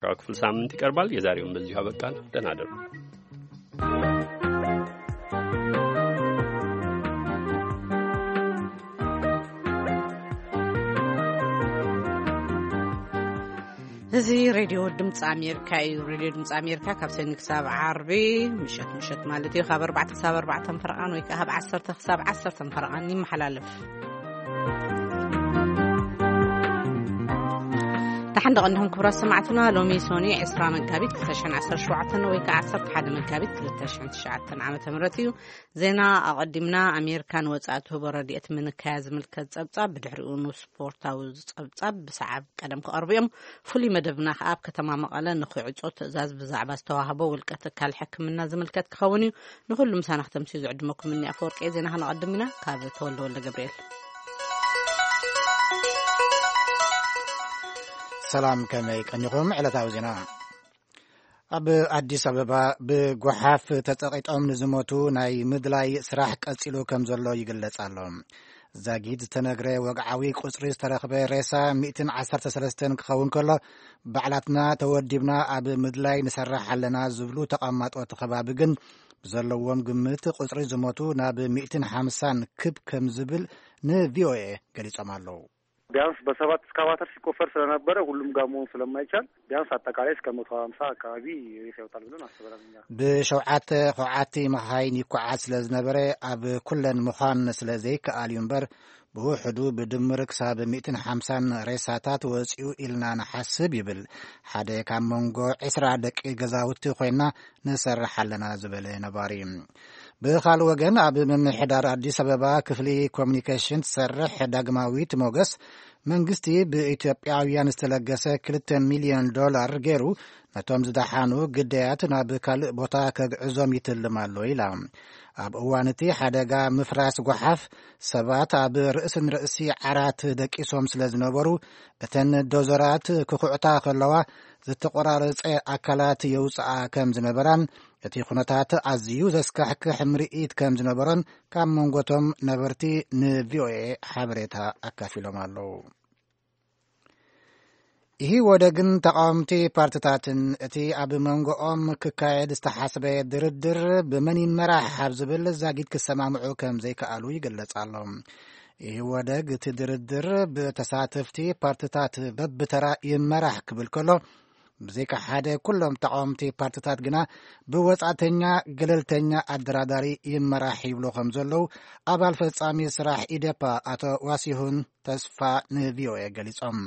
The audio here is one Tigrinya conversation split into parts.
ክፍል ሳምንት ይቀርባል። የዛሬውን በዚሁ አበቃን። ደህና እደሩ። እዚ ሬድዮ ድምፂ ኣሜሪካ እዩ። ሬድዮ ድምፂ ኣሜሪካ ካብ ሰኒ ክሳብ ዓርቢ ምሸት፣ ምሸት ማለት እዩ፣ ካብ ኣርባዕተ ክሳብ ኣርባዕተ ፈረቓን ወይ ከዓ ካብ ዓሰርተ ክሳብ ዓሰርተ ፈረቓን ይመሓላለፍ። ደሓን ደቐንዲኹም ክቡራት ሰማዕትና። ሎሚ ሶኒ ዕስራ መጋቢት ክልተ ሽሕን ዓሰርተ ሸውዓተን ወይ ከዓ ዓሰርተ ሓደ መጋቢት ክልተ ሽሕን ትሽዓተን ዓመተ ምህረት እዩ። ዜና ኣቐዲምና። ኣሜሪካ ንወጻኢ ትህቦ ረድኤት ምንካያ ዝምልከት ጸብጻብ፣ ብድሕሪኡ ንስፖርታዊ ጸብጻብ ብሰዓብ ቀደም ክቐርቡ እዮም። ፍሉይ መደብና ከኣ ኣብ ከተማ መቐለ ንኽዕጾ ትእዛዝ ብዛዕባ ዝተዋህቦ ውልቀ ትካል ሕክምና ዝምልከት ክኸውን እዩ። ንኹሉ ምሳና ክተምስዩ ዝዕድመኩም እኒ ኣፈወርቂ። ዜና ከነቐድም ኢና። ካብ ተወልደ ወልደ ገብርኤል። ሰላም፣ ከመይ ቀኒኹም? ዕለታዊ ዜና። ኣብ ኣዲስ ኣበባ ብጓሓፍ ተጸቒጦም ንዝሞቱ ናይ ምድላይ ስራሕ ቀጺሉ ከም ዘሎ ይግለጽ ኣሎ። ዛጊት ዝተነግረ ወግዓዊ ቁጽሪ ዝተረኽበ ሬሳ ሚእትን ዓሰርተ ሰለስተን ክኸውን ከሎ፣ ባዕላትና ተወዲብና ኣብ ምድላይ ንሰርሕ ኣለና ዝብሉ ተቐማጦ እቲ ከባቢ ግን፣ ብዘለዎም ግምት ቁጽሪ ዝሞቱ ናብ ሚእትን ሓምሳን ክብ ከም ዝብል ንቪኦኤ ገሊጾም ኣለዉ። ቢያንስ በሰባት እስካቫተር ሲቆፈር ስለነበረ ሁሉም ጋር መሆን ስለማይቻል ቢያንስ አጠቃላይ እስከ መቶ ሃምሳ አካባቢ ሬሳ ይወጣል ብለን አስበናል እኛ። ብሸውዓተ ኳዓቲ መኻይን ይኳዓዝ ስለ ዝነበረ ኣብ ኩለን ምዃን ስለ ዘይከኣል እዩ እምበር፣ ብውሕዱ ብድምር ክሳብ ሚእትን ሓምሳን ሬሳታት ወፂኡ ኢልና ንሓስብ ይብል ሓደ ካብ መንጎ ዕስራ ደቂ ገዛውቲ ኮይና ንሰርሕ ኣለና ዝበለ ነባሪ። ብኻልእ ወገን ኣብ ምምሕዳር ኣዲስ ኣበባ ክፍሊ ኮሚኒኬሽን ትሰርሕ ዳግማዊት ሞገስ፣ መንግስቲ ብኢትዮጵያውያን ዝተለገሰ ክልተ ሚልዮን ዶላር ገይሩ ነቶም ዝደሓኑ ግዳያት ናብ ካልእ ቦታ ከግዕዞም ይትልም ኣሎ ኢላ። ኣብ እዋን እቲ ሓደጋ ምፍራስ ጓሓፍ ሰባት ኣብ ርእስን ርእሲ ዓራት ደቂሶም ስለ ዝነበሩ፣ እተን ዶዘራት ክኹዕታ ከለዋ ዝተቆራረጸ ኣካላት የውፅኣ ከም ዝነበራን እቲ ኩነታት ኣዝዩ ዘስካሕክሕ ምርኢት ከም ዝነበሮን ካብ መንጎቶም ነበርቲ ንቪኦኤ ሓበሬታ ኣካፊሎም ኣለዉ። ኢህወደግን ተቃወምቲ ፓርትታትን እቲ ኣብ መንጎኦም ክካየድ ዝተሓስበ ድርድር ብመን ይመራሕ ኣብ ዝብል ዛጊት ክሰማምዑ ከም ዘይከኣሉ ይግለጽ ኣሎ። ኢህወደግ እቲ ድርድር ብተሳተፍቲ ፓርትታት በብተራ ይመራሕ ክብል ከሎ፣ ብዘይካ ሓደ ኩሎም ተቃወምቲ ፓርትታት ግና ብወጻእተኛ ገለልተኛ ኣደራዳሪ ይመራሕ ይብሉ ከም ዘለዉ ኣባል ፈጻሚ ስራሕ ኢዴፓ ኣቶ ዋሲሁን ተስፋ ንቪኦኤ ገሊጾም።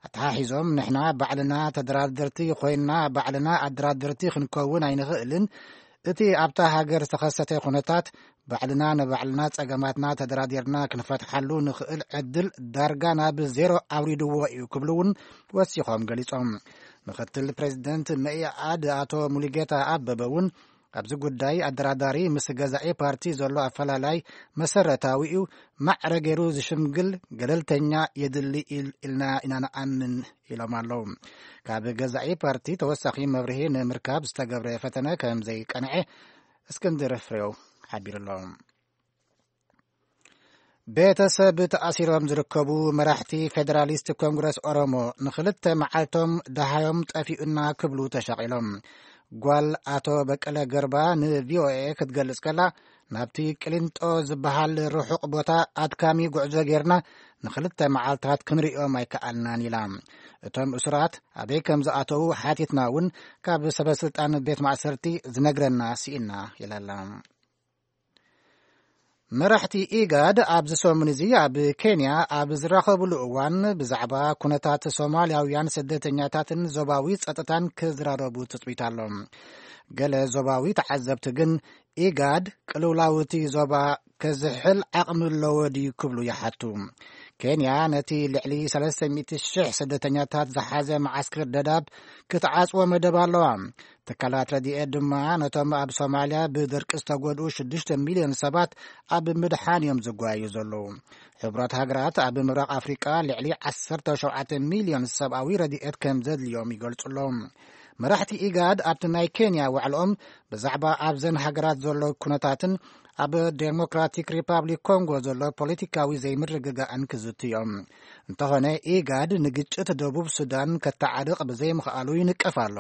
ኣተሓሒዞም፣ ንሕና ባዕልና ተደራደርቲ ኮይንና ባዕልና ኣደራደርቲ ክንከውን ኣይንኽእልን። እቲ ኣብታ ሃገር ዝተኸሰተ ኩነታት ባዕልና ንባዕልና ጸገማትና ተደራዲርና ክንፈትሓሉ ንኽእል ዕድል ዳርጋ ናብ ዜሮ ኣውሪድዎ እዩ ክብሉ እውን ወሲኾም ገሊጾም። ምክትል ፕሬዚደንት መኢኣድ ኣቶ ሙሉጌታ ኣበበ እውን ኣብዚ ጉዳይ ኣደራዳሪ ምስ ገዛኢ ፓርቲ ዘሎ ኣፈላላይ መሰረታዊ እዩ፣ ማዕረ ገይሩ ዝሽምግል ገለልተኛ የድሊ ኢል-፣ ኢልና ኢና ንኣምን ኢሎም ኣለዉ። ካብ ገዛኢ ፓርቲ ተወሳኺ መብርሂ ንምርካብ ዝተገብረ ፈተነ ከም ዘይቀንዐ እስክንድር ፍሬው ሓቢሩ ኣሎ። ቤተሰብ ተኣሲሮም ዝርከቡ መራሕቲ ፌደራሊስት ኮንግረስ ኦሮሞ ንኽልተ መዓልቶም ደሃዮም ጠፊኡና ክብሉ ተሻቒሎም። ጓል ኣቶ በቀለ ገርባ ንቪኦኤ ክትገልጽ ከላ፣ ናብቲ ቅሊንጦ ዝበሃል ርሑቕ ቦታ ኣድካሚ ጉዕዞ ጌርና ንኽልተ መዓልታት ክንሪኦም ኣይከኣልናን ኢላ። እቶም እሱራት ኣበይ ከም ዝኣተዉ ሓቲትና እውን ካብ ሰበ ስልጣን ቤት ማእሰርቲ ዝነግረና ስኢና ኢላ ኣላ። መራሕቲ ኢጋድ ኣብዚ ሰሙን እዚ ኣብ ኬንያ ኣብ ዝራኸብሉ እዋን ብዛዕባ ኩነታት ሶማልያውያን ስደተኛታትን ዞባዊ ጸጥታን ክዝራረቡ ትጽቢት ኣሎ። ገለ ዞባዊ ተዓዘብቲ ግን ኢጋድ ቅልውላው እቲ ዞባ ከዝሕል ዓቕሚ ኣለዎ ድዩ ክብሉ ይሓቱ። ኬንያ ነቲ ልዕሊ ሰለስተ ሚእቲ ሽሕ ስደተኛታት ዝሓዘ መዓስከር ደዳብ ክትዓጽዎ መደብ ኣለዋ። ትካላት ረድኤት ድማ ነቶም ኣብ ሶማልያ ብድርቂ ዝተጎድኡ ሽዱሽተ ሚልዮን ሰባት ኣብ ምድሓን እዮም ዝጓዩ ዘለዉ። ሕቡራት ሃገራት ኣብ ምብራቕ ኣፍሪቃ ልዕሊ ዓሰርተ ሸውዓተ ሚልዮን ሰብኣዊ ረድኤት ከም ዘድልዮም ይገልጹ ኣለዉ። መራሕቲ ኢጋድ ኣብቲ ናይ ኬንያ ዋዕልኦም ብዛዕባ ኣብዘን ሃገራት ዘሎ ኩነታትን ኣብ ዴሞክራቲክ ሪፓብሊክ ኮንጎ ዘሎ ፖለቲካዊ ዘይምርግጋእን ክዝቱ እዮም። እንተኾነ፣ ኢጋድ ንግጭት ደቡብ ሱዳን ከተዓርቕ ብዘይምኽኣሉ ይንቀፍ ኣሎ።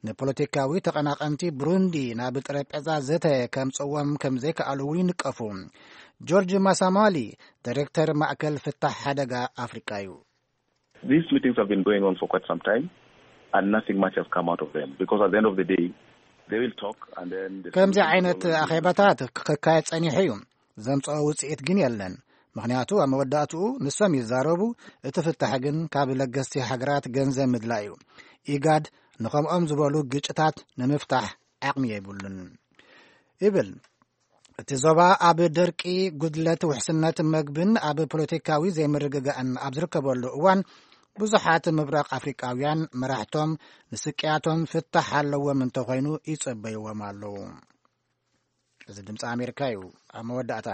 ንፖለቲካዊ ተቐናቐንቲ ብሩንዲ ናብ ጠረጴዛ ዘተ ከምጽእዎም ከም ዘይከኣሉ እውን ይንቀፉ። ጆርጅ ማሳማሊ፣ ዳይሬክተር ማእከል ፍታሕ ሓደጋ ኣፍሪቃ እዩ። These meetings have been going on for quite some time, and nothing much has come out of them, because at the end of the day, they will talk, and then the ከምዚ ዓይነት ኣኼባታት ክካየድ ጸኒሑ እዩ። ዘምጽኦ ውጽኢት ግን የለን። ምኽንያቱ ኣብ መወዳእትኡ ንሶም ይዛረቡ፣ እቲ ፍታሕ ግን ካብ ለገስቲ ሃገራት ገንዘብ ምድላይ እዩ። ኢጋድ ንኸምኦም ዝበሉ ግጭታት ንምፍታሕ ዓቕሚ የብሉን ይብል። እቲ ዞባ ኣብ ደርቂ፣ ጉድለት ውሕስነት መግብን ኣብ ፖለቲካዊ ዘይምርግጋእን ኣብ ዝርከበሉ እዋን፣ ብዙሓት ምብራቕ ኣፍሪቃውያን መራሕቶም ንስቅያቶም ፍታሕ ኣለዎም እንተኾይኑ ይጸበይዎም ኣለዉ። እዚ ድምፂ ኣሜሪካ እዩ። ኣብ መወዳእታ፣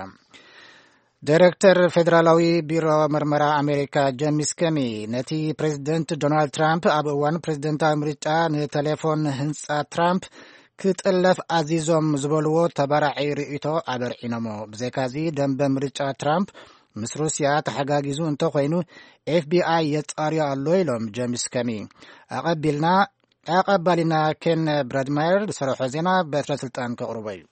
ዳይሬክተር ፌዴራላዊ ቢሮ መርመራ ኣሜሪካ ጀሚስ ከሚ ነቲ ፕሬዚደንት ዶናልድ ትራምፕ ኣብ እዋን ፕሬዚደንታዊ ምርጫ ንቴሌፎን ህንፃ ትራምፕ ክጥለፍ ኣዚዞም ዝበልዎ ተባራዒ ርእይቶ ኣበርዒኖሞ። ብዘይካዚ፣ ደንበ ምርጫ ትራምፕ ምስ ሩስያ ተሓጋጊዙ እንተኾይኑ፣ ኤፍቢኣይ የጻርዮ ኣሎ ኢሎም ጀሚስ ከሚ። ኣቐቢልና ኣቐባሊና ኬን ብራድማየር ዝሰርሖ ዜና በትረ ስልጣን ከቕርቦ እዩ።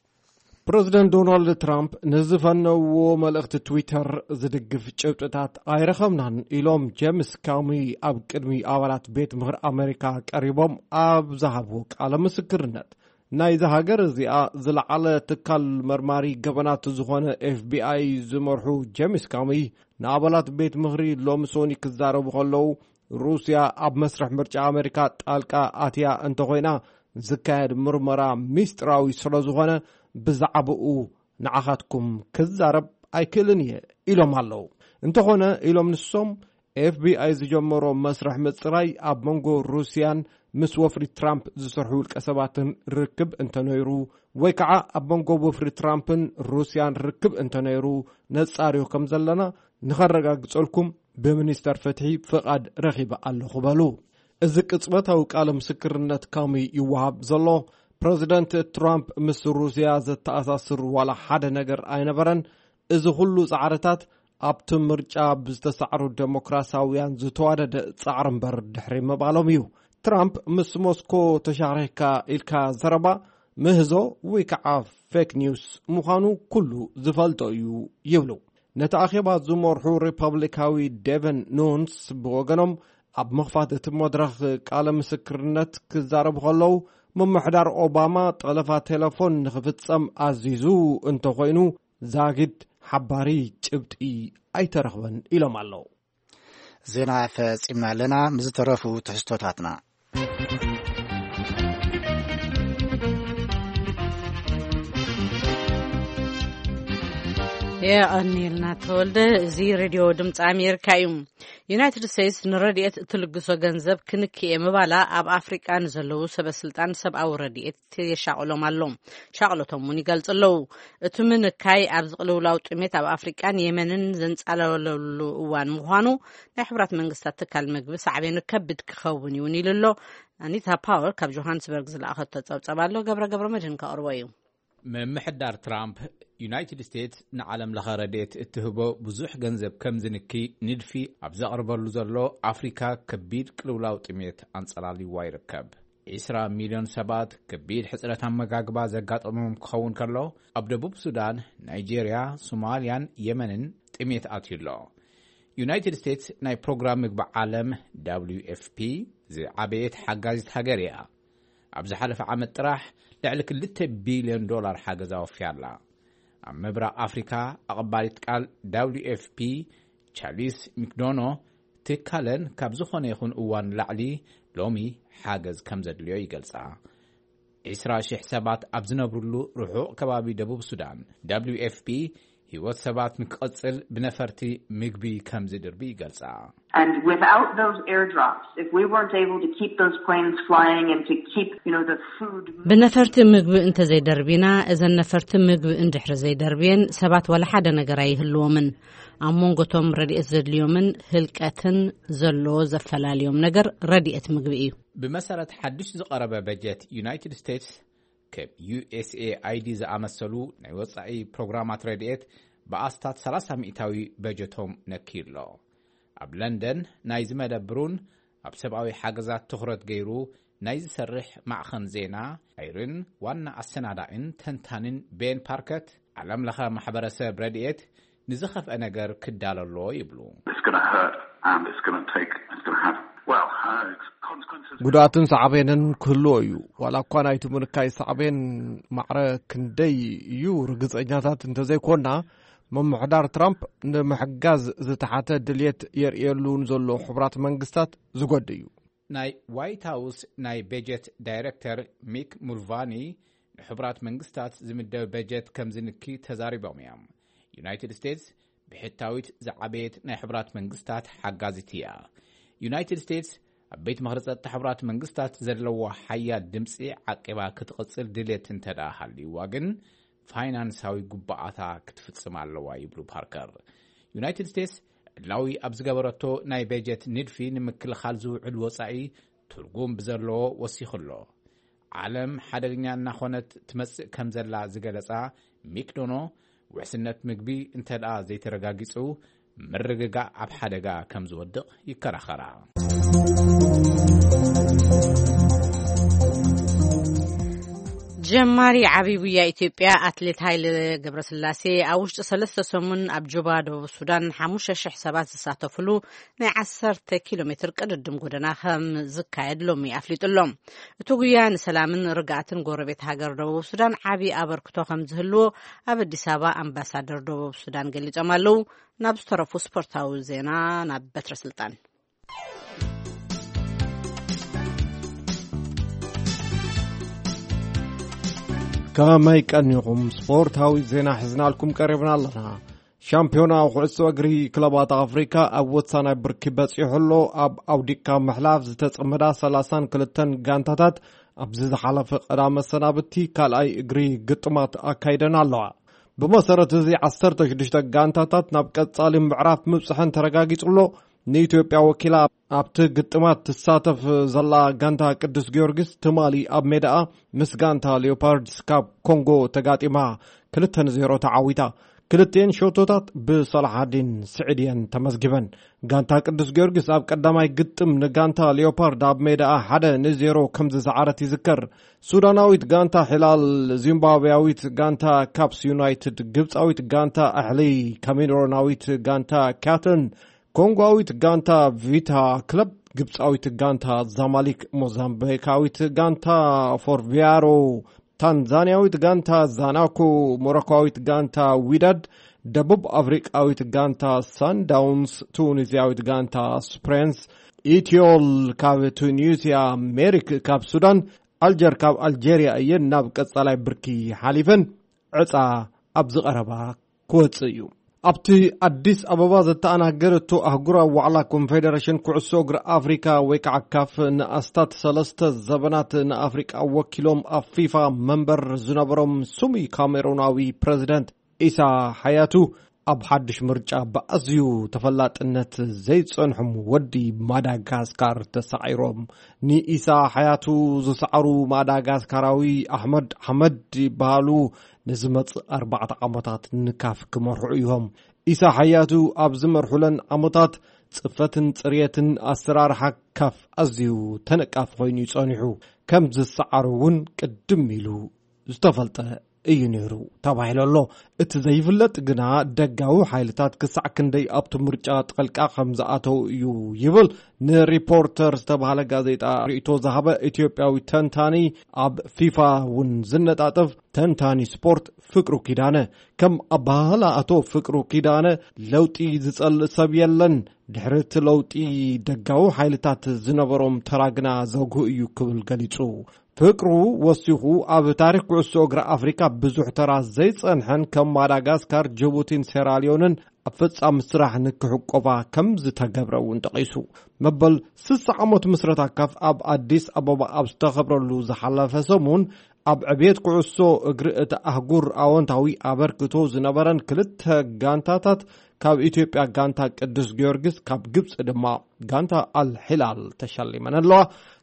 ፕረዚደንት ዶናልድ ትራምፕ ንዝፈነውዎ መልእኽቲ ትዊተር ዝድግፍ ጭብጥታት ኣይረኸብናን ኢሎም ጀምስ ካሚ ኣብ ቅድሚ ኣባላት ቤት ምኽሪ ኣሜሪካ ቀሪቦም ኣብ ዝሃብዎ ቃለ ምስክርነት። ናይዛ ሃገር እዚኣ ዝለዓለ ትካል መርማሪ ገበናት ዝኾነ ኤፍቢኣይ ዝመርሑ ጀምስ ካሚ ንኣባላት ቤት ምኽሪ ሎሚ ሶኒ ክዛረቡ ከለዉ፣ ሩስያ ኣብ መስርሕ ምርጫ ኣሜሪካ ጣልቃ ኣትያ እንተኾይና፣ ዝካየድ ምርመራ ሚስጥራዊ ስለ ዝኾነ፣ ብዛዕባኡ ንዓኻትኩም ክዛረብ ኣይክእልን እየ ኢሎም ኣለዉ። እንተኾነ፣ ኢሎም ንሶም፣ ኤፍቢኣይ ዝጀመሮ መስርሕ ምጽራይ ኣብ መንጎ ሩስያን ምስ ወፍሪ ትራምፕ ዝሰርሑ ውልቀ ሰባትን ርክብ እንተነይሩ፣ ወይ ከዓ ኣብ መንጎ ወፍሪ ትራምፕን ሩስያን ርክብ እንተነይሩ፣ ነጻርዮ ከም ዘለና ንኸረጋግጸልኩም ብሚኒስተር ፍትሒ ፍቓድ ረኺበ ኣለኹ በሉ። እዚ ቅጽበታዊ ቃለ ምስክርነት ካሚ ይወሃብ ዘሎ፣ ፕረዚደንት ትራምፕ ምስ ሩስያ ዘተኣሳስር ዋላ ሓደ ነገር ኣይነበረን። እዚ ኩሉ ጻዕርታት ኣብቲ ምርጫ ብዝተሳዕሩ ደሞክራሲያውያን ዝተዋደደ ጻዕሪ እምበር ድሕሪ ምባሎም እዩ። ትራምፕ ምስ ሞስኮ ተሻሪኽካ ኢልካ ዘረባ ምህዞ ወይ ከዓ ፌክ ኒውስ ምዃኑ ኩሉ ዝፈልጦ እዩ ይብሉ። ነቲ ኣኼባ ዝመርሑ ሪፐብሊካዊ ዴቨን ኑንስ ብወገኖም ኣብ ምኽፋት እቲ መድረኽ ቃለ ምስክርነት ክዛረቡ ከለዉ፣ ምምሕዳር ኦባማ ጠለፋ ቴሌፎን ንኽፍጸም ኣዚዙ እንተኾይኑ፣ ዛጊድ ሓባሪ ጭብጢ ኣይተረኽበን ኢሎም ኣለዉ። ዜና ፈጺምና ኣለና። ምስ ዝተረፉ ትሕዝቶታትና። የቐንየልና ተወልደ። እዚ ሬድዮ ድምፂ ኣሜሪካ እዩ። ዩናይትድ ስቴትስ ንረድኤት እትልግሶ ገንዘብ ክንክየ ምባላ ኣብ ኣፍሪቃ ንዘለዉ ሰበ ስልጣን ሰብኣዊ ረድኤት የሻቕሎም ኣሎ። ሻቕሎቶም እውን ይገልጹ ኣለዉ። እቲ ምንካይ ኣብዚ ቅልውላው ጥሜት ኣብ ኣፍሪቃን የመንን ዘንጻለለሉ እዋን ምዃኑ ናይ ሕቡራት መንግስታት ትካል ምግቢ ሳዕቤኑ ከቢድ ክኸውን እዩ እውን ኢሉ ኣሎ። ኣኒታ ፓወር ካብ ጆሃንስበርግ ዝለኣኸቶ ጸብጸብ ኣሎ። ገብረ ገብረ መድህን ከቕርቦ እዩ። ምምሕዳር ትራምፕ፣ ዩናይትድ ስቴትስ ንዓለም ለኸ ረድኤት እትህቦ ብዙሕ ገንዘብ ከም ዝንኪ ንድፊ ኣብ ዘቕርበሉ ዘሎ፣ ኣፍሪካ ከቢድ ቅልውላው ጥሜት ኣንጸላልይዋ ይርከብ። ዒስራ ሚልዮን ሰባት ከቢድ ሕጽረት ኣመጋግባ ዘጋጠሞም ክኸውን ከሎ፣ ኣብ ደቡብ ሱዳን፣ ናይጄርያ፣ ሶማልያን የመንን ጥሜት ኣትዩ ኣሎ። ዩናይትድ ስቴትስ ናይ ፕሮግራም ምግቢ ዓለም፣ ደብሊው ኤፍ ፒ፣ ዝዓበየት ሓጋዚት ሃገር እያ። ኣብ ዝሓለፈ ዓመት ጥራሕ ልዕሊ ክልተ ቢልዮን ዶላር ሓገዝ ኣወፍያ ኣላ። ኣብ ምብራቕ ኣፍሪካ፣ ኣቐባሊት ቃል ደብሊው ኤፍ ፒ፣ ቻሊስ ሚክዶኖ፣ ትካለን ካብ ዝኾነ ይኹን እዋን ላዕሊ ሎሚ ሓገዝ ከም ዘድልዮ ይገልጻ። ዒስራ ሺሕ ሰባት ኣብ ዝነብሩሉ ርሑቕ ከባቢ ደቡብ ሱዳን፣ ደብሊው ኤፍ ፒ ህይወት ሰባት ንክቕጽል ብነፈርቲ ምግቢ ከም ዝድርቢ ይገልጻ። And without those airdrops, if we weren't able to keep those planes flying and to keep, you know, the food ብነፈርቲ ምግቢ እንተዘይደርቢና፣ እዘን ነፈርቲ ምግቢ እንድሕሪ ዘይደርብየን፣ ሰባት ዋላ ሓደ ነገር ኣይህልዎምን። ኣብ መንጎቶም ረድኤት ዘድልዮምን ህልቀትን ዘሎ ዘፈላልዮም ነገር ረድኤት ምግቢ እዩ። ብመሰረት ሓድሽ ዝቐረበ በጀት ዩናይትድ ስቴትስ፣ ከም ዩ ኤስ ኤ ኣይ ዲ ዝኣመሰሉ ናይ ወጻኢ ፕሮግራማት ረድኤት ብኣስታት ሰላሳ ሚእታዊ በጀቶም ነክዩ ኣሎ። ኣብ ለንደን ናይ ዝመደብሩን ኣብ ሰብኣዊ ሓገዛት ትኹረት ገይሩ ናይ ዝሰርሕ ማዕኸን ዜና ኣይርን ዋና ኣሰናዳእን ተንታንን ቤን ፓርከት፣ ዓለም ለኸ ማሕበረሰብ ረድኤት ንዝኸፍአ ነገር ክዳለሎ ይብሉ። It's going to hurt and it's going to take, it's going to have, well, uh, it's consequences. ጉድኣትን ሳዕቤንን ክህልዎ እዩ። ዋላ እኳ ናይቲ ምንካይ ሳዕቤን ማዕረ ክንደይ እዩ ርግጸኛታት እንተዘይኮና፣ ምምሕዳር ትራምፕ ንምሕጋዝ ዝተሓተ ድልየት የርእየሉ ንዘሎ ሕቡራት መንግስታት ዝጎድ እዩ። ናይ ዋይት ሃውስ ናይ በጀት ዳይረክተር ሚክ ሙልቫኒ ንሕቡራት መንግስታት ዝምደብ በጀት ከም ዝንኪ ተዛሪቦም እዮም። ዩናይትድ ስቴትስ ብሕታዊት ዝዓበየት ናይ ሕቡራት መንግስታት ሓጋዚት እያ። ዩናይትድ ስቴትስ ኣብ ቤት ምኽሪ ጸጥታ ሕቡራት መንግስታት ዘለዎ ሓያል ድምፂ ዓቂባ ክትቕጽል ድሌት እንተ ደኣ ሃልይዋ ግን ፋይናንሳዊ ጉባኣታ ክትፍጽም ኣለዋ ይብሉ ፓርከር። ዩናይትድ ስቴትስ ዕላዊ ኣብ ዝገበረቶ ናይ በጀት ንድፊ ንምክልኻል ዝውዕል ወጻኢ ትርጉም ብዘለዎ ወሲኹ ኣሎ። ዓለም ሓደገኛ እናኾነት ትመጽእ ከም ዘላ ዝገለጻ ሚክዶኖ፣ ውሕስነት ምግቢ እንተ ደኣ ዘይተረጋጊጹ ምርግጋእ ኣብ ሓደጋ ከም ዝወድቕ ይከራኸራ። ጀማሪ ዓብይ ጉያ ኢትዮጵያ ኣትሌት ሃይለ ገብረስላሴ ኣብ ውሽጢ ሰለስተ ሰሙን ኣብ ጁባ ደቡብ ሱዳን ሓሙሽተ ሽሕ ሰባት ዝሳተፍሉ ናይ ዓሰርተ ኪሎ ሜትር ቅድድም ጎደና ከም ዝካየድ ሎሚ ኣፍሊጡ ኣሎ። እቲ ጉያ ንሰላምን ርግኣትን ጎረቤት ሃገር ደቡብ ሱዳን ዓቢ ኣበርክቶ ከም ዝህልዎ ኣብ ኣዲስ ኣበባ ኣምባሳደር ደቡብ ሱዳን ገሊጾም ኣለዉ። ናብ ዝተረፉ ስፖርታዊ ዜና ናብ በትረ ስልጣን። ከመይ ቀኒኹም? ስፖርታዊ ዜና ሒዝናልኩም ቀሪብና ኣለና። ሻምፒዮና ኩዕሶ እግሪ ክለባት ኣፍሪካ ኣብ ወሳናይ ብርኪ በጺሑ ኣሎ። ኣብ ኣውዲካ ምሕላፍ ዝተጸመዳ ሰላሳን ክልተን ጋንታታት ኣብዚ ዝሓለፈ ቀዳመ ሰናብቲ ካልኣይ እግሪ ግጥማት ኣካይደን ኣለዋ። ብመሰረት እዚ ዓሰርተ ሽዱሽተ ጋንታታት ናብ ቀጻሊ ምዕራፍ ምብጽሐን ተረጋጊጹ ኣሎ። ንኢትዮጵያ ወኪላ ኣብቲ ግጥማት ትሳተፍ ዘላ ጋንታ ቅዱስ ጊዮርጊስ ትማሊ ኣብ ሜዳኣ ምስ ጋንታ ሊዮፓርድስ ካብ ኮንጎ ተጋጢማ ክልተ ንዜሮ ተዓዊታ። ክልቲኤን ሸቶታት ብሰላሓዲን ስዒድ እየን ተመዝጊበን። ጋንታ ቅዱስ ጊዮርጊስ ኣብ ቀዳማይ ግጥም ንጋንታ ሊዮፓርድ ኣብ ሜዳኣ ሓደ ንዜሮ ከም ዝሰዓረት ይዝከር። ሱዳናዊት ጋንታ ሒላል፣ ዚምባብያዊት ጋንታ ካፕስ ዩናይትድ፣ ግብጻዊት ጋንታ ኣሕሊ፣ ካሜሮናዊት ጋንታ ካተን፣ ኮንጓዊት ጋንታ ቪታ ክለብ፣ ግብጻዊት ጋንታ ዛማሊክ፣ ሞዛምቢካዊት ጋንታ ፎርቪያሮ፣ ታንዛንያዊት ጋንታ ዛናኮ፣ ሞሮኮዊት ጋንታ ዊዳድ፣ ደቡብ ኣፍሪቃዊት ጋንታ ሳንዳውንስ፣ ቱኒዝያዊት ጋንታ ስፕሬንስ፣ ኢትዮል ካብ ቱኒዝያ፣ ሜሪክ ካብ ሱዳን፣ ኣልጀር ካብ ኣልጀርያ እየን ናብ ቀጻላይ ብርኪ ሓሊፈን። ዕጻ ኣብዚ ቀረባ ክወጽእ እዩ። ኣብቲ ኣዲስ ኣበባ ዘተኣናገረቶ ኣህጉራዊ ዋዕላ ኮንፌደሬሽን ኩዕሶ እግሪ ኣፍሪካ ወይ ከዓ ካፍ ንኣስታት ሰለስተ ዘበናት ንኣፍሪቃ ወኪሎም ኣብ ፊፋ መንበር ዝነበሮም ስሙይ ካሜሩናዊ ፕሬዚደንት ኢሳ ሓያቱ ኣብ ሓድሽ ምርጫ ብኣዝዩ ተፈላጥነት ዘይጸንሖም ወዲ ማዳጋስካር ተሳዒሮም። ንኢሳ ሓያቱ ዝሰዓሩ ማዳጋስካራዊ ኣሕመድ ኣሕመድ ይበሃሉ። ንዝመጽእ ኣርባዕተ ዓመታት ንካፍ ክመርሑ እዮም። ኢሳ ሓያቱ ኣብ ዝመርሑለን ዓመታት ጽፈትን ጽርየትን ኣሰራርሓ ካፍ ኣዝዩ ተነቃፊ ኮይኑ እዩ ጸኒሑ። ከም ዝሰዓሩ እውን ቅድም ኢሉ ዝተፈልጠ እዩ ነይሩ ተባሂሉ ኣሎ። እቲ ዘይፍለጥ ግና ደጋዊ ሓይልታት ክሳዕ ክንደይ ኣብቲ ምርጫ ጠልቃ ከም ዝኣተው እዩ ይብል ንሪፖርተር ዝተባህለ ጋዜጣ ርእይቶ ዝሃበ ኢትዮጵያዊ ተንታኒ፣ ኣብ ፊፋ እውን ዝነጣጠፍ ተንታኒ ስፖርት ፍቅሩ ኪዳነ። ከም ኣባህላ ኣቶ ፍቅሩ ኪዳነ ለውጢ ዝጸልእ ሰብ የለን፣ ድሕሪ እቲ ለውጢ ደጋዊ ሓይልታት ዝነበሮም ተራ ግና ዘጉህ እዩ ክብል ገሊጹ። ፍቅሩ ወሲኹ ኣብ ታሪኽ ኩዕሶ እግሪ ኣፍሪካ ብዙሕ ተራ ዘይጸንሐን ከም ማዳጋስካር፣ ጅቡቲን ሴራሊዮንን ኣብ ፈጻሚ ስራሕ ንክሕቆፋ ከም ዝተገብረ እውን ጠቒሱ። መበል ስሳ ዓመት ምስረታ ካፍ ኣብ ኣዲስ ኣበባ ኣብ ዝተኸብረሉ ዝሓለፈ ሰሙን፣ ኣብ ዕብየት ኩዕሶ እግሪ እቲ ኣህጉር ኣወንታዊ ኣበርክቶ ዝነበረን ክልተ ጋንታታት፣ ካብ ኢትዮጵያ ጋንታ ቅዱስ ጊዮርጊስ፣ ካብ ግብጺ ድማ ጋንታ ኣል ሒላል ተሸሊመን ኣለዋ።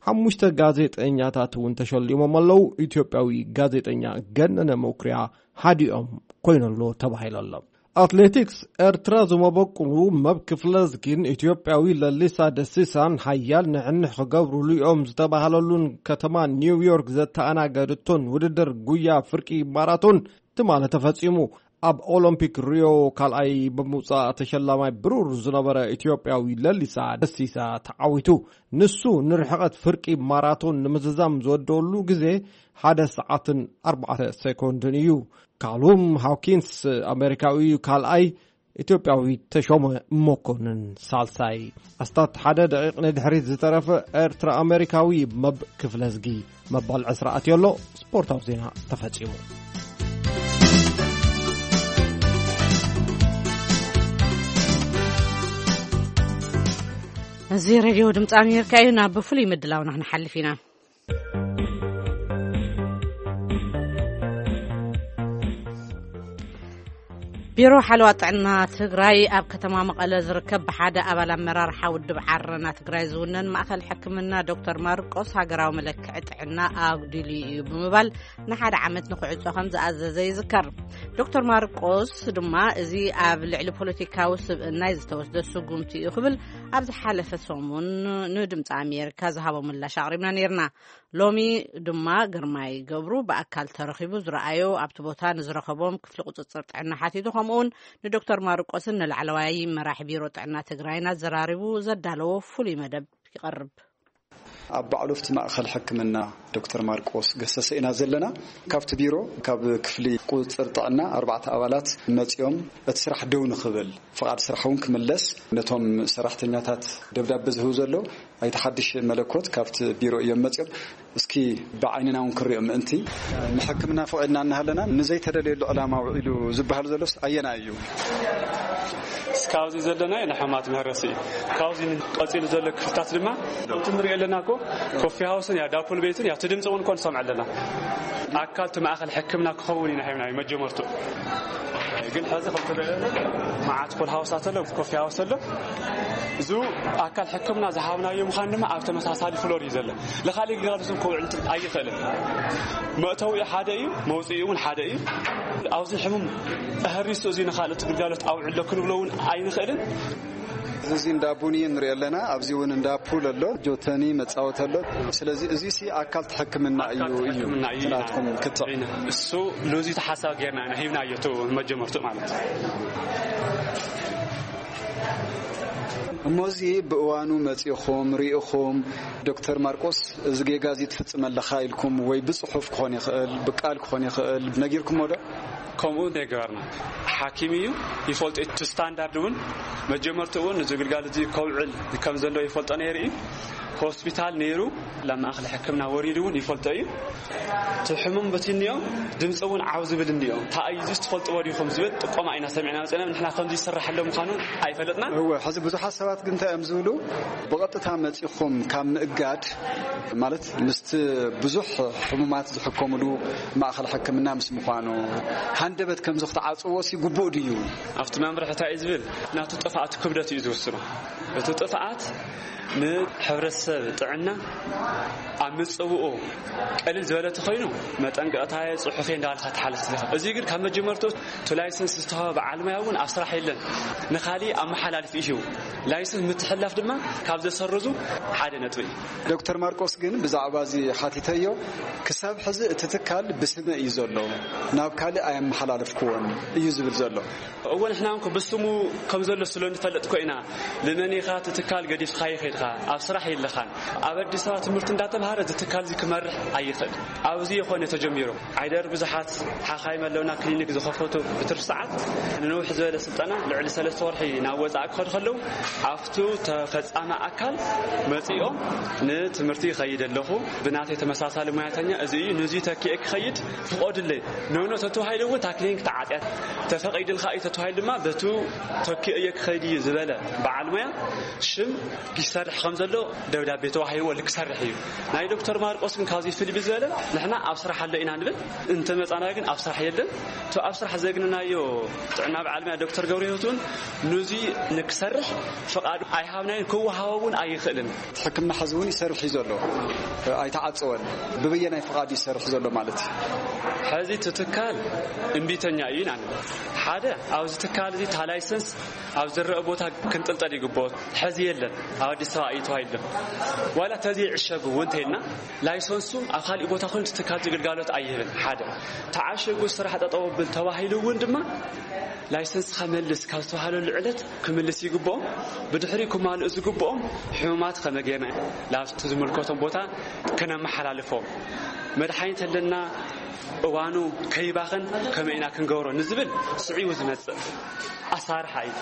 ሓሙሽተ ጋዜጠኛታት እውን ተሸሊሞም ኣለዉ። ኢትዮጵያዊ ጋዜጠኛ ገነነ መኩሪያ ሓዲኦም ኮይኑ ኣሎ ተባሂሉ ኣሎ። ኣትሌቲክስ፣ ኤርትራ ዝመበቁሉ መብ ክፍለዝጊን ኢትዮጵያዊ ለሊሳ ደሲሳን ሓያል ንሕንሕ ክገብሩሉ እዮም ዝተባህለሉን ከተማ ኒውዮርክ ዘተኣናገድቶን ውድድር ጉያ ፍርቂ ማራቶን ትማሊ ተፈጺሙ። ኣብ ኦሎምፒክ ሪዮ ካልኣይ ብምውጻእ ተሸላማይ ብሩር ዝነበረ ኢትዮጵያዊ ለሊሳ ደሲሳ ተዓዊቱ። ንሱ ንርሕቐት ፍርቂ ማራቶን ንምዝዛም ዝወደሉ ግዜ ሓደ ሰዓትን ኣርባዕተ ሴኮንድን እዩ። ካሉም ሃውኪንስ ኣሜሪካዊ እዩ ካልኣይ፣ ኢትዮጵያዊ ተሾመ መኮንን ሳልሳይ። ኣስታት ሓደ ደቂቕ ንድሕሪት ዝተረፈ ኤርትራ ኣሜሪካዊ መብ ክፍለዝጊ መባል ዕስራ ኣትዮ ኣሎ። ስፖርታዊ ዜና ተፈጺሙ። እዚ ሬድዮ ድምፂ ኣሜሪካ እዩ። ናብ ፍሉይ ምድላውና ክንሓልፍ ኢና። ቢሮ ሓለዋ ጥዕና ትግራይ ኣብ ከተማ መቐለ ዝርከብ ብሓደ ኣባል ኣመራርሓ ውድብ ዓረና ትግራይ ዝውነን ማእኸል ሕክምና ዶክተር ማርቆስ ሃገራዊ መለክዒ ጥዕና ኣጉዲሉ እዩ ብምባል ንሓደ ዓመት ንክዕጾ ከም ዝኣዘዘ ይዝከር። ዶክተር ማርቆስ ድማ እዚ ኣብ ልዕሊ ፖለቲካዊ ስብእናይ ዝተወስደ ስጉምቲ እዩ ክብል ኣብ ዝሓለፈ ሰሙን ንድምፂ ኣሜሪካ ዝሃቦ ምላሽ ኣቕሪብና ነይርና። ሎሚ ድማ ግርማይ ገብሩ ብኣካል ተረኺቡ ዝረኣዮ ኣብቲ ቦታ ንዝረኸቦም ክፍሊ ቁፅፅር ጥዕና ሓቲቱ፣ ከምኡውን ንዶክተር ማርቆስን ንላዕለዋይ መራሒ ቢሮ ጥዕና ትግራይን ኣዘራሪቡ ዘዳለዎ ፍሉይ መደብ ይቐርብ። ኣብ ባዕሉ ኣብቲ ማእኸል ሕክምና ዶክተር ማርቆስ ገሰሰ ኢና ዘለና። ካብቲ ቢሮ፣ ካብ ክፍሊ ቁፅፅር ጥዕና ኣርባዕተ ኣባላት መፂኦም፣ እቲ ስራሕ ደው ንኽብል፣ ፍቓድ ስራሕ እውን ክምለስ፣ ነቶም ሰራሕተኛታት ደብዳበ ዝህቡ ዘለዉ፣ ኣይተ ሓድሽ መለኮት ካብቲ ቢሮ እዮም መፂኦም። እስኪ ብዓይንና እውን ክሪኦ ምእንቲ፣ ንሕክምና ፈቒድና እናሃለና ንዘይተደልየሉ ዕላማ ውዒሉ ዝበሃል ዘሎስ ኣየናይ እዩ? እስካብዚ ዘለና ናይ ሕማማት መህረሲ እዩ። ካብዚ ቀፂሉ ዘሎ ክፍልታት ድማ ከምቲ ንሪኦ ኣለና እኮ፣ ኮፊ ሃውስን ያ ዳፑል ቤትን ያ እቲ ድምፂ እውን እኮ ንሰምዕ ኣለና። ኣካል እቲ ማእኸል ሕክምና ክኸውን ኢና ሂብናዮ መጀመርቱ። ግን ሕዚ ከም ትረአ መዓት ፑል ሃውሳት ኣሎ፣ ኮፊ ሃውስ ኣሎ። እዚ ኣካል ሕክምና ዝሃብናዮ ምዃን ድማ ኣብ ተመሳሳሊ ፍሎር እዩ ዘሎ። ንኻሊእ ግልጋሎት እውን ከውዕል ኣይኽእልን። መእተዊኡ ሓደ እዩ፣ መውፅኢኡ እውን ሓደ እዩ። ኣብዚ ሕሙም ተህሪሱ እዚ ንኻልኦት ግልጋሎት ኣውዕሎ ክንብሎ እውን ኣይንኽእልን። እዚ እንዳ ቡን ንሪኦ ኣለና። ኣብዚ እውን እንዳ ፑል ኣሎ፣ ጆተኒ መጻወቲ ኣሎ። ስለዚ እዚ ሲ ኣካል ሕክምና እዩ፣ ኣካል እዩ ሕክምና እዩ። ናትኩም ክትዕ። ኢና። እሱ ሎዚ ተሓሳብ ጌርና ኢና ሂብናዮ፣ እቱ መጀመርቱ ማለት እዩ። እሞ እዚ ብእዋኑ መጺኹም ሪኢኹም፣ ዶክተር ማርቆስ፣ እዚ ጌጋ እዚ ትፍጽም ኣለኻ ኢልኩም ወይ ብጽሑፍ ክኾን ይኽእል፣ ብቃል ክኾን ይኽእል፣ ነጊርኩሞ ዶ? ከምኡ ነግበርና። ሓኪም እዩ፣ ይፈልጦ፣ እቲ ስታንዳርድ እውን መጀመርትኡ እውን እዚ ግልጋሎት እዚ ከውዕል ከም ዘሎ ይፈልጦ ነይሩ እዩ። ሆስፒታል ነይሩ፣ ናብ ማእኸል ሕክምና ወሪዱ እውን ይፈልጦ እዩ። እቲ ሕሙም በቲ እኒኦ ድምፂ እውን ዓው ዝብል እኒኦ። እንታይ እዩ እዚስ ትፈልጥዎ ዲኹም ዝብል ጥቆማ ኢና ሰሚዕና መፂና። ንሕና ከምዚ ይስራሕ ኣሎ ምዃኑ ኣይፈለጥና። እወ፣ ሕዚ ብዙሓት ሰባት ግን እንታይ እዮም ዝብሉ? ብቐጥታ መፂኹም ካብ ምእጋድ፣ ማለት ምስቲ ብዙሕ ሕሙማት ዝሕከምሉ ማእኸል ሕክምና ምስ ምዃኑ፣ ሃንደበት ከምዚ ክትዓፅዎ ሲ ግቡእ ድዩ? ኣብቲ መምርሒ እንታይ እዩ ዝብል? ናቱ ጥፍኣት ክብደት እዩ ዝውስኖ። እቲ ጥፍኣት ንሕብረተሰብ ጥዕና ኣብ ምጽውኡ ቀሊል ዝበለ ተኾይኑ መጠንቀቕታ ጽሑፍ እንዳበልካ ትሓልፍ ትልካ። እዚ ግን ካብ መጀመርቱ እቲ ላይሰንስ ዝተዋህበ በዓል ሞያ እውን ኣብ ስራሕ የለን። ንኻሊእ ኣመሓላልፊ እዩ። ላይሰንስ ምትሕላፍ ድማ ካብ ዘሰርዙ ሓደ ነጥቢ እዩ። ዶክተር ማርቆስ ግን ብዛዕባ እዚ ሓቲተዮ፣ ክሳብ ሕዚ እቲ ትካል ብስመ እዩ ዘሎ፣ ናብ ካልእ ኣየመሓላለፍክዎን እዩ ዝብል ዘሎ። እወ፣ ንሕና እውን ብስሙ ከም ዘሎ ስለ ንፈልጥ እኮ ኢና። ንመን ኢኻ እቲ ትካል ገዲፍካዮ ከይድካ? ኣብ ስራሕ የለኻ። ኣብ ኣዲስ ኣበባ ትምህርቲ እንዳተምሃረ እዚ ትካል እዚ ክመርሕ ኣይኽእል። ኣብዚ ይኾነ ተጀሚሩ። ዓይደር ብዙሓት ሓኻይም ኣለውና ክሊኒክ ዝኸፈቱ ብትርፊ ሰዓት ንንውሕ ዝበለ ስልጠና ልዕሊ ሰለስተ ወርሒ ናብ ወፃኢ ክኸዱ ከለዉ ኣብቱ ተፈፃሚ ኣካል መፂኦም ንትምህርቲ ይኸይድ ኣለኹ፣ ብናተይ ተመሳሳሊ ሙያተኛ እዚ እዩ፣ ንዚ ተኪኤ ክኸይድ ፍቆድለይ። ኖኖ ተተዋሂሉ እውን ታክሊን ክተዓፅያ ተፈቒድልካ እዩ ተተዋሂሉ ድማ በቱ ተኪኤ ክኸይድ እዩ ዝበለ በዓል ሙያ ሽም ይሰርሕ ከም ዘሎ ደብዳቤ ተዋሂብዎ ልክሰርሕ እዩ። ናይ ዶክተር ማርቆስ ግን ካብዚ ፍልይ ብዝበለ ንሕና ኣብ ስራሕ ኣሎ ኢና ንብል፣ እንተመጻና ግን ኣብ ስራሕ የለን። እቲ ኣብ ስራሕ ዘግንናዮ ጥዕና በዓል ሙያ ዶክተር ገብረ ህይወት እውን ንዚ ንክሰርሕ ፍቓድ ኣይሃብናዮን፣ ክወሃቦ እውን ኣይኽእልን። ሕክምና ሕዚ እውን ይሰርሕ እዩ ዘሎ፣ ኣይተዓፀወን። ብበየናይ ፍቓድ ይሰርሕ ዘሎ ማለት እዩ? ሕዚ እቲ ትካል እምቢተኛ እዩ ኢና ንብል። ሓደ ኣብዚ ትካል እዚ እታ ላይሰንስ ኣብ ዝረአ ቦታ ክንጥልጠል ይግብኦ። ሕዚ የለን፣ ኣብ ኣዲስ ኣበባ እዩ ተባሂሉ። ዋላ ተዘይዕሸጉ እውን እንተይልና ላይሰንሱ ኣብ ካሊእ ቦታ ኮይኑ እቲ ትካል እዚ ግልጋሎት ኣይህብን። ሓደ ተዓሸጉ ስራሕ ጠጠው ብል ተባሂሉ እውን ድማ ላይሰንስካ መልስ ካብ ዝተባሃለሉ ዕለት ክምልስ ይግብኦም። ብድሕሪ ክማልኡ ዝግብኦም ሕሙማት ከመይ ጌርና ላብቲ ዝምልከቶም ቦታ ክነመሓላልፎም፣ መድሓኒት ኣለና እዋኑ ከይባኸን ከመይ ኢና ክንገብሮ ንዝብል ስዒቡ ዝመፅእ ኣሳርሓ እዩ።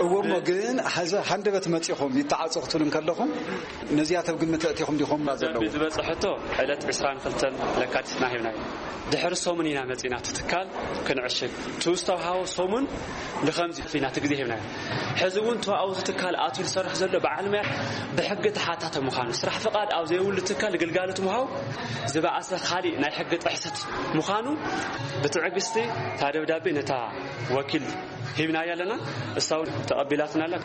እዎ እሞ ግን ሐዚ ሃንደበት መፂኹም ይተዓፀ ክትብሉ እንከለኹም ነዚኣ ተብ ግምት ኣእቲኹም ዲኹም? ደብዳቤ ዘለዉ ዝበፅሐቶ ዕለት ዕስራን ክልተን ለካቲትና ሂብናዮ። ድሕሪ ሰሙን ኢና መፂና እቲ ትካል ክንዕሽግ። እቲ ዝተውሃቦ ሰሙን ንኸምዚ ኢና እቲ ግዜ ሂብናዮ። ሕዚ እውን ተዋኡ እዚ ትካል ኣትዩ ዝሰርሕ ዘሎ በዓል ሙያ ብሕጊ ተሓታተ ምዃኑ፣ ስራሕ ፍቓድ ኣብ ዘይብሉ ትካል ግልጋሎት ምሃብ ዝበኣሰ ካሊእ ናይ ሕጊ ጥሕሰት ምዃኑ ብትዕግስቲ እታ ደብዳቤ ነታ ወኪል ሂብናያ ኣለና። እሳ እውን ተቐቢላትና ኣላ።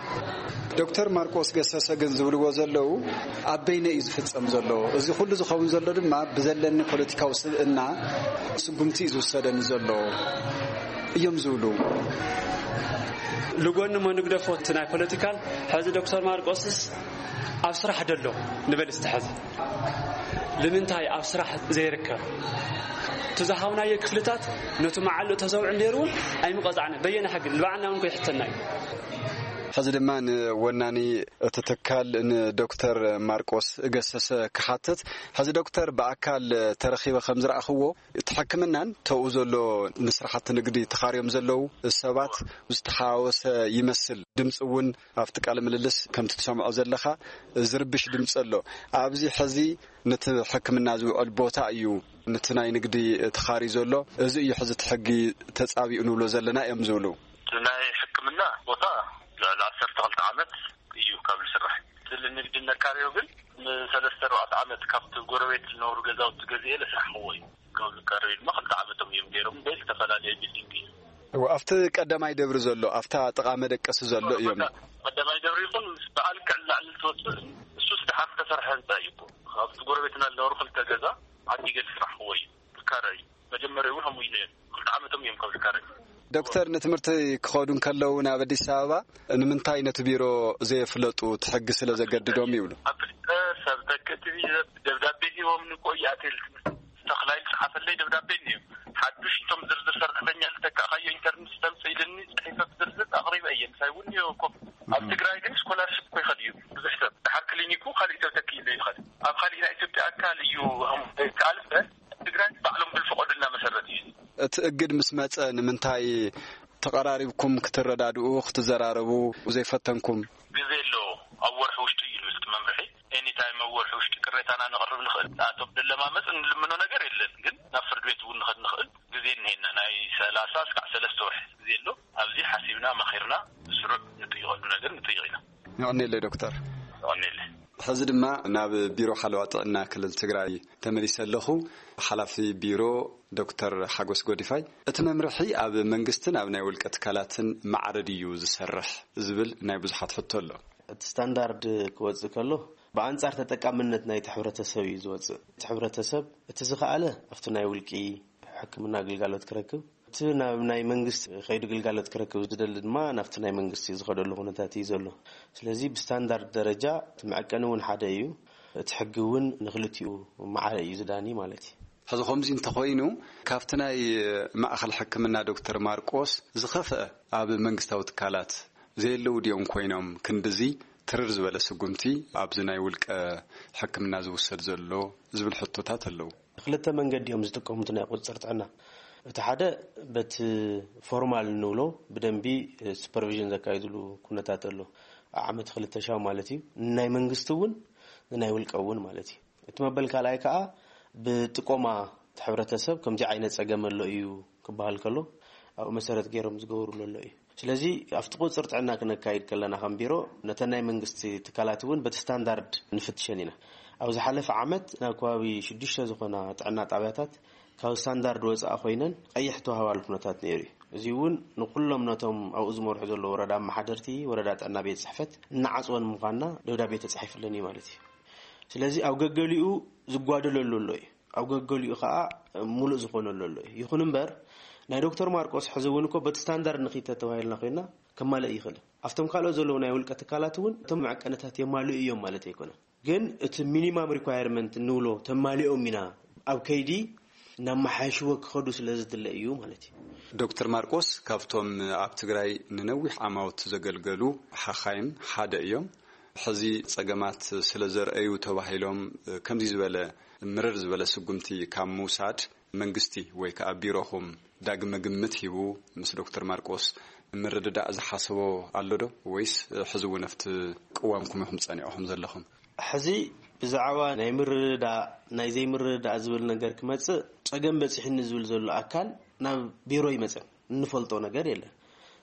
ዶክተር ማርቆስ ገሰሰ ግን ዝብልዎ ዘለዉ ኣብ በይነ እዩ ዝፍጸም ዘሎ። እዚ ኩሉ ዝኸውን ዘሎ ድማ ብዘለኒ ፖለቲካዊ ስብእና ስጉምቲ እዩ ዝውሰደኒ ዘሎ እዮም ዝብሉ። ልጎኒ እሞ ንግደፎ እቲ ናይ ፖለቲካል። ሕዚ ዶክተር ማርቆስስ ኣብ ስራሕ ደሎ ንበል እስቲ ሕዚ ንምንታይ ኣብ ስራሕ ዘይርከብ? እቲ ዝሃብናዮ ክፍልታት ነቲ መዓልኡ ተዘውዕል ነይሩ እውን ኣይምቐፃዕነ። በየነ ሕጊ ንባዕልና እውን ከይሕተና እዩ። ሕዚ ድማ ንወናኒ እቲ ትካል ንዶክተር ማርቆስ ገሰሰ ክሓትት። ሕዚ ዶክተር ብኣካል ተረኺበ ከም ዝረኣኽዎ እቲ ሕክምናን ተኡ ዘሎ ንስራሕቲ ንግዲ ተኻርዮም ዘለዉ ሰባት ዝተሓዋወሰ ይመስል። ድምፂ እውን ኣብቲ ቃለ ምልልስ ከምቲ ትሰምዖ ዘለኻ ዝርብሽ ድምፂ ኣሎ። ኣብዚ ሕዚ ነቲ ሕክምና ዝውዕል ቦታ እዩ፣ ነቲ ናይ ንግዲ ተኻርዩ ዘሎ። እዚ እዩ ሕዚ እቲ ሕጊ ተፃቢኡ ንብሎ ዘለና እዮም ዝብሉ። እቲ ናይ ሕክምና ቦታ ልዕሊ ዓሰርተ ክልተ ዓመት እዩ ካብ ዝስራሕ። ስለ ንግዲ ነካርዮ ግን ንሰለስተ ኣርባዕተ ዓመት ካብቲ ጎረቤት ዝነበሩ ገዛውቲ ገዚኤ ለስራሕኽዎ እዩ። ካብ ዝካረዩ ድማ ክልተ ዓመቶም እዮም ገይሮም። በይ ዝተፈላለየ ቢልዲንግ እዩ። እዎ፣ ኣብቲ ቀዳማይ ደብሪ ዘሎ፣ ኣብታ ጥቓ መደቀሲ ዘሎ እዮም። ቀዳማይ ደብሪ ይኹን ምስ በዓል ክዕላዕል ትወፅእ እሱስ ደሓር ዝተሰርሐ ህንፃ እዩ እኮ። ካብቲ ጎረቤትና ዝነበሩ ክልተ ገዛ ዓዲ ገድ ስራሕኽዎ እዩ። ዝካረ እዩ። መጀመርያ እውን ከምኡ እዩ ነይሩ። ክልተ ዓመቶም እዮም ካብ ዝካረ። ዶክተር ንትምህርቲ ክኸዱ እንከለዉ ናብ ኣዲስ ኣበባ ንምንታይ ነቲ ቢሮ ዘየፍለጡ እቲ ሕጊ ስለ ዘገድዶም ይብሉ። ኣፍሊጠ ሰብ ተክእቲ ደብዳቤ ሂቦም ንቆይ ኣቴል ተኽላይ ዝፀሓፈለይ ደብዳቤ እዩ። ሓዱሽ እቶም ዝርዝር ሰራሕተኛ ዝተካእካዮ ኢንተርኔት ተምፅእ ኢልኒ ፅሒፈ ብዝርዝር ኣቕሪበ እየ። ምሳይ እውን እዮ ኮፍ ኣብ ትግራይ ግን ስኮላርሽፕ እኮ ይኸድ እዩ ብዙሕ ሰብ። ድሓር ክሊኒኩ ካሊእ ሰብ ተኪእለ ይኸድ ኣብ ካሊእ ናይ ኢትዮጵያ ኣካል እዩ። ካልእ ትግራይ ባዕሎም ብዝፈቐዱልና መሰረት እዩ። እቲ እግድ ምስ መጸ ንምንታይ ተቐራሪብኩም ክትረዳድኡ ክትዘራረቡ ዘይፈተንኩም? ግዜ ኣሎ። ኣብ ወርሒ ውሽጢ እዩ ዝብል እቲ መምርሒ። ኤኒታይም ኣብ ወርሒ ውሽጢ ቅሬታና ነቕርብ ንኽእል። ንኣቶም ንለማመፅ እንልምኖ ነገር የለን፣ ግን ናብ ፍርድ ቤት እውን ንኸድ ንኽእል ግዜ እኒሄና። ናይ ሰላሳ እስካዕ ሰለስተ ወርሒ ግዜ ኣሎ። ኣብዚ ሓሲብና መኺርና ብስሩዕ ንጥይቐሉ ነገር ንጥይቕ ኢና። የቐኔለይ ዶክተር። የቐኔለይ። ሕዚ ድማ ናብ ቢሮ ሓለዋ ጥዕና ክልል ትግራይ ተመሊሰ ኣለኹ። ሓላፊ ቢሮ ዶክተር ሓጎስ ጎዲፋይ፣ እቲ መምርሒ ኣብ መንግስትን ኣብ ናይ ውልቀ ትካላትን ማዕረ ድዩ ዝሰርሕ ዝብል ናይ ብዙሓት ሕቶ ኣሎ። እቲ ስታንዳርድ ክወፅእ ከሎ ብኣንጻር ተጠቃምነት ናይቲ ሕብረተሰብ እዩ ዝወፅእ። እቲ ሕብረተሰብ እቲ ዝኸኣለ ኣብቲ ናይ ውልቂ ሕክምና ግልጋሎት ክረክብ፣ እቲ ናብ ናይ መንግስቲ ከይዱ ግልጋሎት ክረክብ ዝደሊ ድማ ናብቲ ናይ መንግስቲ ዝኸደሉ ኩነታት እዩ ዘሎ። ስለዚ ብስታንዳርድ ደረጃ እቲ መዐቀኒ እውን ሓደ እዩ። እቲ ሕጊ እውን ንክልቲኡ ማዕረ እዩ ዝዳኒ ማለት እዩ። ሕዚ ከምዚ እንተኾይኑ ካብቲ ናይ ማእኸል ሕክምና ዶክተር ማርቆስ ዝኸፍአ ኣብ መንግስታዊ ትካላት ዘየለዉ ድዮም ኮይኖም ክንድዚ ትርር ዝበለ ስጉምቲ ኣብዚ ናይ ውልቀ ሕክምና ዝውሰድ ዘሎ ዝብል ሕቶታት ኣለዉ። ክልተ መንገዲ እዮም ዝጥቀሙ እቲ ናይ ቁፅፅር ጥዕና። እቲ ሓደ በቲ ፎርማል እንብሎ ብደንቢ ሱፐርቪዥን ዘካይድሉ ኩነታት ኣሎ። ዓመት ክልተ ሻው ማለት እዩ። ናይ መንግስቲ እውን ናይ ውልቀ እውን ማለት እዩ። እቲ መበል ካልኣይ ከዓ ብጥቆማ እቲ ሕብረተሰብ ከምዚ ዓይነት ፀገም ኣሎ እዩ ክበሃል ከሎ ኣብኡ መሰረት ገይሮም ዝገብሩ ዘሎ እዩ። ስለዚ ኣብቲ ቁፅር ጥዕና ክነካይድ ከለና ከም ቢሮ ነተን ናይ መንግስቲ ትካላት እውን በቲ ስታንዳርድ ንፍትሸን ኢና። ኣብ ዝሓለፈ ዓመት ናብ ከባቢ ሽዱሽተ ዝኾና ጥዕና ጣብያታት ካብ ስታንዳርድ ወፃኢ ኮይነን ቀይሕ ተዋህባሉ ኩነታት ነይሩ እዩ። እዚ እውን ንኩሎም ነቶም ኣብኡ ዝመርሑ ዘለዉ ወረዳ ኣመሓደርቲ፣ ወረዳ ጥዕና ቤት ፅሕፈት እናዓፅወን ምዃንና ደብዳቤ ተፃሒፍለን እዩ ማለት እዩ። ስለዚ ኣብ ገገሊኡ ዝጓደለሉ ኣሎ እዩ፣ ኣብ ገገሊኡ ከዓ ሙሉእ ዝኾነሉ ኣሎ እዩ። ይኹን እምበር ናይ ዶክተር ማርቆስ ሕዚ እውን እኮ በቲ ስታንዳርድ ንኺድ ተተባሂልና ኮይና ከማልእ ይኽእል። ኣብቶም ካልኦት ዘለዉ ናይ ውልቀ ትካላት እውን እቶም መዐቀንታት የማልኡ እዮም ማለት ኣይኮነን። ግን እቲ ሚኒማም ሪኳየርመንት እንብሎ ተማሊኦም ኢና ኣብ ከይዲ እናመሓየሽዎ ክኸዱ ስለ ዝድለ እዩ ማለት እዩ። ዶክተር ማርቆስ ካብቶም ኣብ ትግራይ ንነዊሕ ዓማውት ዘገልገሉ ሓኻይም ሓደ እዮም። ሕዚ ጸገማት ስለ ዘርአዩ ተባሂሎም ከምዚ ዝበለ ምርር ዝበለ ስጉምቲ ካብ ምውሳድ መንግስቲ ወይ ከዓ ቢሮኹም ዳግመ ግምት ሂቡ ምስ ዶክተር ማርቆስ ምርድዳእ ዝሓሰቦ ኣሎ ዶ? ወይስ ሕዚ እውን ኣብቲ ቅዋምኩም ኢኹም ጸኒዕኹም ዘለኹም? ሕዚ ብዛዕባ ናይ ምርድዳእ ናይ ዘይምርድዳእ ዝብል ነገር ክመጽእ ጸገም በጺሕኒ ዝብል ዘሎ ኣካል ናብ ቢሮ ይመጸን እንፈልጦ ነገር የለን።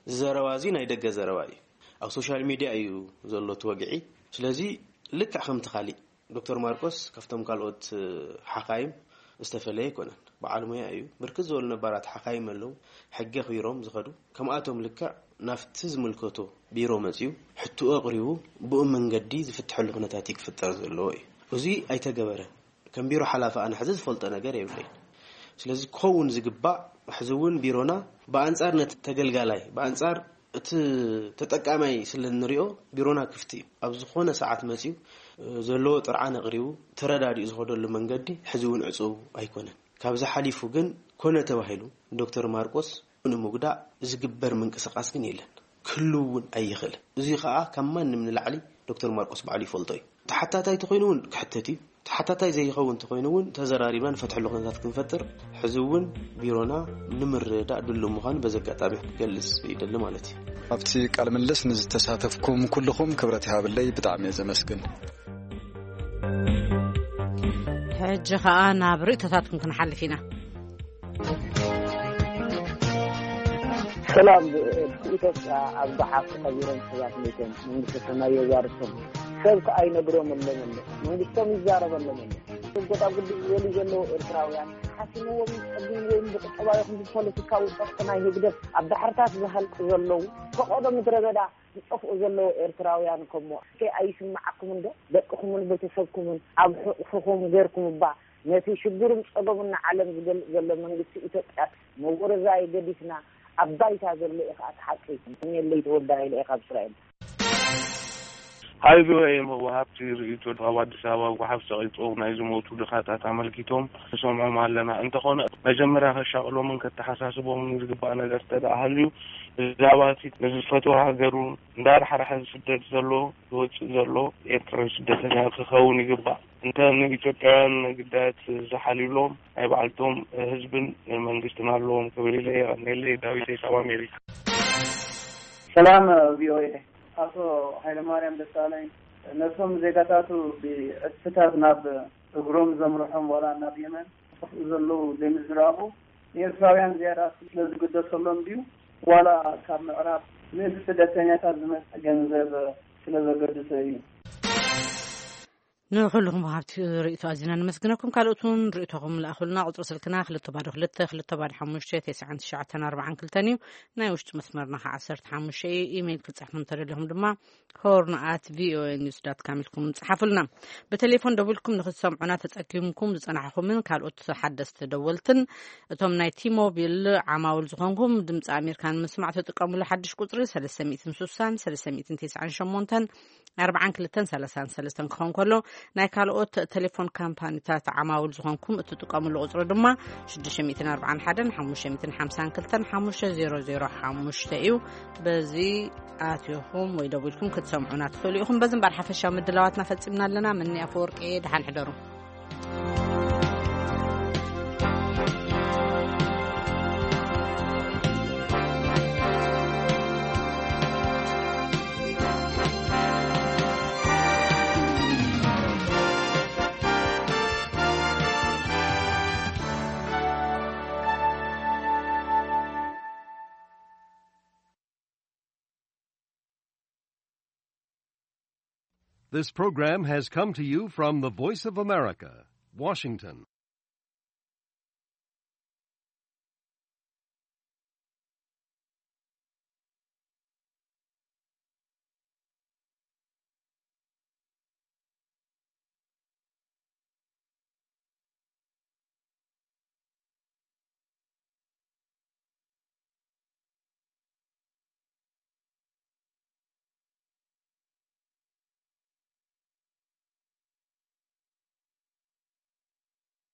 እዚ ዘረባ እዚ ናይ ደገ ዘረባ እዩ። ኣብ ሶሻል ሚድያ እዩ ዘሎ እቲ ወግዒ። ስለዚ ልክዕ ከምቲ ካሊእ ዶክተር ማርቆስ ካብቶም ካልኦት ሓኻይም ዝተፈለየ ኣይኮነን። በዓል ሞያ እዩ። ብርክት ዝበሉ ነባራት ሓኻይም ኣለዉ፣ ሕጊ ኣኽቢሮም ዝኸዱ። ከምኣቶም ልክዕ ናብቲ ዝምልከቶ ቢሮ መጺኡ ሕትኡ ኣቕሪቡ ብኡ መንገዲ ዝፍትሐሉ ኩነታት እዩ ክፍጠር ዘለዎ እዩ። እዚ ኣይተገበረን። ከም ቢሮ ሓላፊ ኣነ ሕዚ ዝፈልጦ ነገር የብለይን። ስለዚ ክኸውን ዝግባእ ሕዚ እውን ቢሮና ብኣንጻር ነቲ ተገልጋላይ ብኣንጻር እቲ ተጠቃማይ ስለ እንሪኦ ቢሮና ክፍቲ እዩ። ኣብ ዝኾነ ሰዓት መጺኡ ዘለዎ ጥርዓን ኣቕሪቡ ተረዳዲኡ ዝኸደሉ መንገዲ ሕዚ እውን ዕጹው ኣይኮነን። ካብዚ ሓሊፉ ግን ኮነ ተባሂሉ ዶክተር ማርቆስ ንምጉዳእ ዝግበር ምንቅስቃስ ግን የለን፣ ክህሉ እውን ኣይኽእልን። እዚ ከዓ ካብ ማንም ንላዕሊ ዶክተር ማርቆስ ባዕሉ ይፈልጦ እዩ። ተሓታታይ ተኮይኑ እውን ክሕተት እዩ። ተሓታታይ ዘይኸውን ተኮይኑ እውን ተዘራሪብና ንፈትሐሉ ኩነታት ክንፈጥር ሕዚ እውን ቢሮና ንምርዳእ ድሉ ምዃኑ በዚ ኣጋጣሚ ክገልጽ ይደሊ ማለት እዩ። ኣብቲ ቃለ ምልልስ ንዝተሳተፍኩም ኩልኹም ክብረት ይሃብለይ፣ ብጣዕሚ እየ ዘመስግን። ሕጂ ኸኣ ናብ ርእይቶታትኩም ክንሓልፍ ኢና። ሰላም። ኢትዮጵያ ኣብ ጓሓፍ ተቐቢሮም ሰባት ሞይቶም፣ መንግስቲ ሰማይ የዋርሶም። ሰብ ከኣ ይነግሮም ኣለመለ፣ መንግስቶም ይዛረብ ኣለመለ። ጎዳጉዲ ዝበሉ ዘለዉ ኤርትራውያን ሓሲምዎም ጸጊምዎም ብቁጠባዊ ይኹን ብፖለቲካዊ ጸቕጢ ናይ ህግደፍ ኣብ ባሕርታት ዝሃልቁ ዘለዉ፣ ፈቐዶ ምድረ በዳ ዝጠፍኡ ዘለዉ ኤርትራውያን ከሞ እስከ ኣይስምዓኩምን ዶ? ደቅኹምን ቤተሰብኩምን ኣብ ሕቑፍኹም ጌርኩም እባ ነቲ ሽግርን ጸገሙን ንዓለም ዝገልጽ ዘሎ መንግስቲ ኢትዮጵያ መወረዛይ ገዲፍና ኣብ ባይታ ዘሎ እዩ ኸኣ እቲ ሓቂ። የለይ ተወልደ ሃይለ እየ ካብ እስራኤል። ሃይ ቪኦኤ መዋሃብቲ ርእይቶ ካብ ኣዲስ ኣበባ ጓሓፍ ጸቒጦም ናይ ዝሞቱ ድኻታት ኣመልኪቶም ንሰምዖም ኣለና። እንተኾነ መጀመርያ ከሻቕሎምን ከተሓሳስቦምን ዝግባእ ነገር እንተ ደኣ ሃልዩ ብዛዕባ እቲ ንዝፈትዋ ሃገሩ እንዳራሕራሐ ዝስደድ ዘሎ ዝወጽእ ዘሎ ኤርትራዊ ስደተኛ ክኸውን ይግባእ። እንተ ንኢትዮጵያውያን ግዳያት ዝሓልዩሎም ናይ ባዕልቶም ህዝብን መንግስትን ኣለዎም ክብል ኢለ። የቐንየለይ። ዳዊት ካብ ኣሜሪካ። ሰላም ቪኦኤ። ኣቶ ሃይለማርያም ደሳለኝ ነቶም ዜጋታቱ ብዕጽፍታት ናብ እግሮም ዘምርሖም ዋላ ናብ የመን ዝጠፍኡ ዘለዉ ዘይምዝራቡ ንኤርትራውያን ዝያዳ ስለ ዝግደሰሎም ድዩ ዋላ ካብ ምዕራብ ነዚ ስደተኛታት ዝመጽእ ገንዘብ ስለ ዘገድሶ እዩ? ንኹልኹም ወሃብቲ ርእይቶ ኣዚና ነመስግነኩም። ካልኦት እውን ርእይቶኹም ልኣኹልና። ቁጽሪ ስልክና ክልተ ባዶ ክልተ ክልተ ባዶ ሓሙሽተ ተስዓን ትሽዓተን ኣርባዓን ክልተን እዩ። ናይ ውሽጢ መስመርና ከዓ ዓሰርተ ሓሙሽተ እዩ። ኢሜይል ክትጽሕፉ እንተደሊኹም ድማ ሆርን ኣት ቪኦኤ ኒውስ ዳት ካም ኢልኩም ጽሓፉልና። ብቴሌፎን ደዊልኩም ንኽትሰምዑና ተጸጊምኩም ዝጸናሕኹምን ካልኦት ሓደስቲ ደወልትን እቶም ናይ ቲሞቢል ዓማውል ዝኾንኩም ድምፂ ኣሜሪካ ንምስማዕ ትጥቀሙሉ ሓድሽ ቁጽሪ ሰለስተ ሚእትን ስሳን ሰለስተ ሚእትን ተስዓን ሸሞንተን ኣርባዓን ክልተን ሰላሳን ሰለስተን ክኸውን ከሎ፣ ናይ ካልኦት ቴሌፎን ካምፓኒታት ዓማውል ዝኾንኩም እትጥቀምሉ ቁጽሪ ድማ ሽዱሽተ ሚእትን ኣርባዓን ሓደን ሓሙሽተ ሚእትን ሓምሳን ክልተን ሓሙሽተ ዜሮ ዜሮ ሓሙሽተ እዩ። በዚ ኣትኹም ወይ ደዊልኩም ክትሰምዑና ትኽእሉ ኢኹም። በዚ እምበር ሓፈሻዊ ምድላዋትና ፈጺምና ኣለና። ምኒ ኣፈወርቂ፣ ደሓን ሕደሩ። This program has come to you from the Voice of America, Washington.